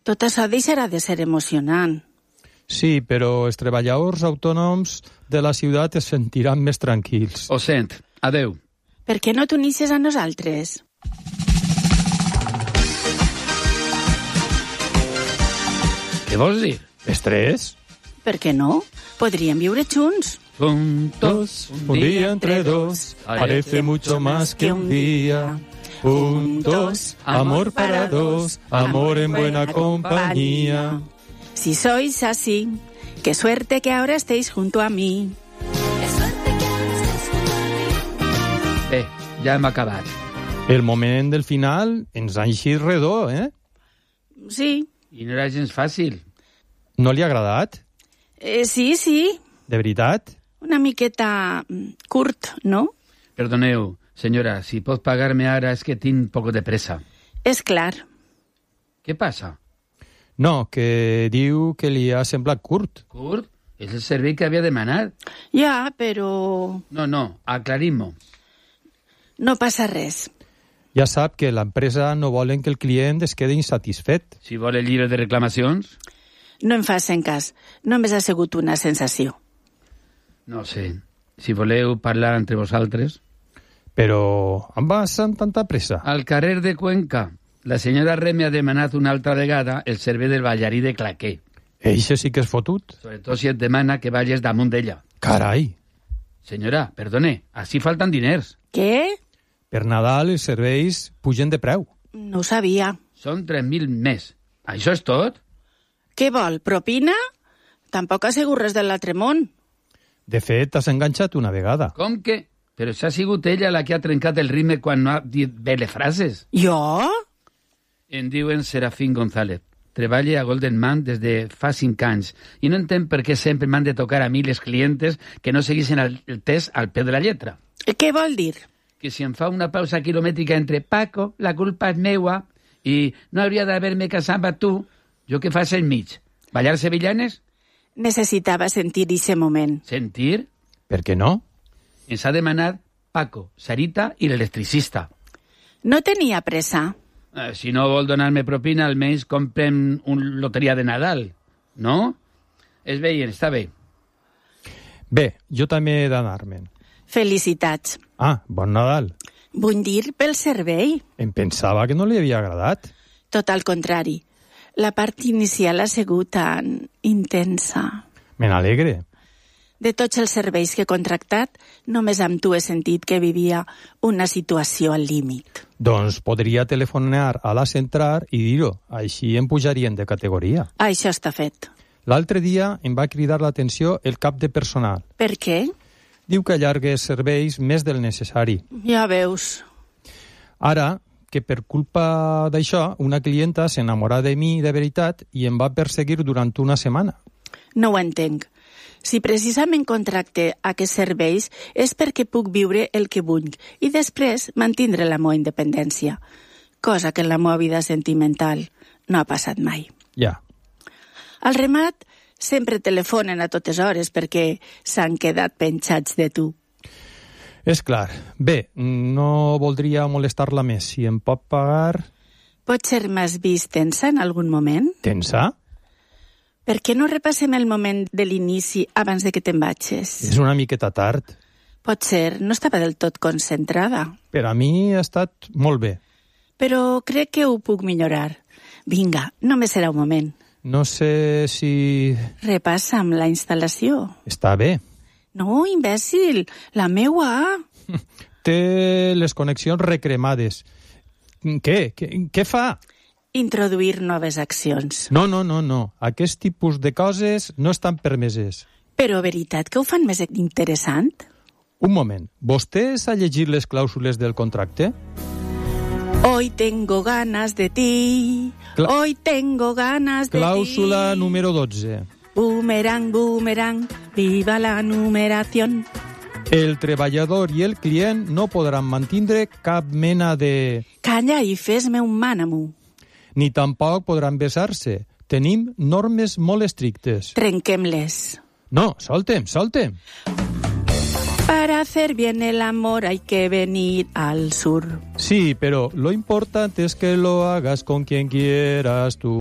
Tot això deixarà de ser emocionant. Sí, però els treballadors autònoms de la ciutat es sentiran més tranquils. Ho sent. Adeu. Per què no t'unisses a nosaltres? Què vols dir? Estrès? Per què no? Podríem viure junts. Juntos, Un día entre dos parece mucho más que un día. Juntos, amor para dos, amor en buena compañía. Si sois así, qué suerte que ahora estéis junto a mí. Bé, ja hem acabat. El moment del final ens ha eixit redó, eh? Sí, I no era gens fàcil. No li ha agradat? sí, De veritat? una miqueta curt, no? Perdoneu, senyora, si pot pagar-me ara és que tinc poc de pressa. És clar. Què passa? No, que diu que li ha semblat curt. Curt? És el servei que havia demanat. Ja, però No, aclarim-ho. no passa res. Ja sap que l'empresa no volen que el client es quedi insatisfet. Si vol el llibre de reclamacions... No em facin cas. Només ha sigut una sensació. No sé. Si voleu parlar entre vosaltres... Però em vas amb tanta pressa. Al carrer de Cuenca, la senyora Reme ha demanat una altra vegada el servei del ballarí de claqué. Eixe sí que és fotut. Sobretot si et demana que vagis damunt d'ella. Carai! Senyora, perdone, així falten diners. Què? Per Nadal els serveis pugen de preu. No ho sabia. Són 3.000 més. Això és tot? Què vol, propina? Tampoc ha sigut res de l'altre món. De fet, t'has enganxat una vegada. Com que? Però s'ha sigut ella la que ha trencat el ritme quan no ha dit bé les frases. Jo? Em diuen Serafín González. Treballo a Golden Man des de fa 5 anys i no entenc per què sempre m'han de tocar a mi les clientes que no seguissin el test al peu de la lletra. Què vol dir? Que si em fa una pausa quilomètrica entre Paco, la culpa és meua, i no hauria d'haver-me casat amb tu, jo què fas enmig? Ballar sevillanes? Necessitava sentir ese moment. Sentir? Per què no? Ens ha demanat Paco, Sarita i l'electricista. No tenia pressa. Si no vol donar-me propina, almenys comprem un loteria de Nadal, no? És bé, està bé. Bé, jo també he d'anar-me'n. Felicitats. Ah, bon Nadal. Vull dir pel servei. Em pensava que no li havia agradat. Tot al contrari. La part inicial ha sigut tan intensa. Me n'alegre. De tots els serveis que he contractat, només amb tu he sentit que vivia una situació al límit. Doncs podria telefonar a la central i dir-ho. Així em pujarien de categoria. Això està fet. L'altre dia em va cridar l'atenció el cap de personal. Per què? Diu que allarga els serveis més del necessari. Ja veus. Ara, que per culpa d'això, una clienta s'enamora de mi de veritat i em va perseguir durant una setmana. No ho entenc. Si precisament contracte aquests serveis és perquè puc viure el que vull i després mantindre la meva independència, cosa que en la meva vida sentimental no ha passat mai. Ja. Al remat sempre telefonen a totes hores perquè s'han quedat penjats de tu. És clar. Bé, no voldria molestar-la més. Si em pot pagar... Potser m'has vist tensa en algun moment? Tensa? Per què no repassem el moment de l'inici abans de que te'n vagis? És una miqueta tard. Potser no estava del tot concentrada. Per a mi ha estat molt bé. Però crec que ho puc millorar. Vinga, només serà un moment. No sé si... Repassa'm la instal·lació. Està bé. No, imbècil, la meua. Té les connexions recremades. Què fa? Introduir noves accions. No. Aquest tipus de coses no estan permeses. Però veritat que ho fan més interessant? Un moment. Vostè s'ha llegit les clàusules del contracte? Hoy tengo ganas de ti. Hoy tengo ganas de ti. Clàusula número 12. Boomerang, boomerang, viva la numeración. El treballador i el client no podran mantindre cap mena de... Calla i fes-me un mànamo. Ni tampoc podran besar-se. Tenim normes molt estrictes. Trenquem-les. No, soltem. Para hacer bien el amor hay que venir al sur. Sí, pero lo importante es que lo hagas con quien quieras tú.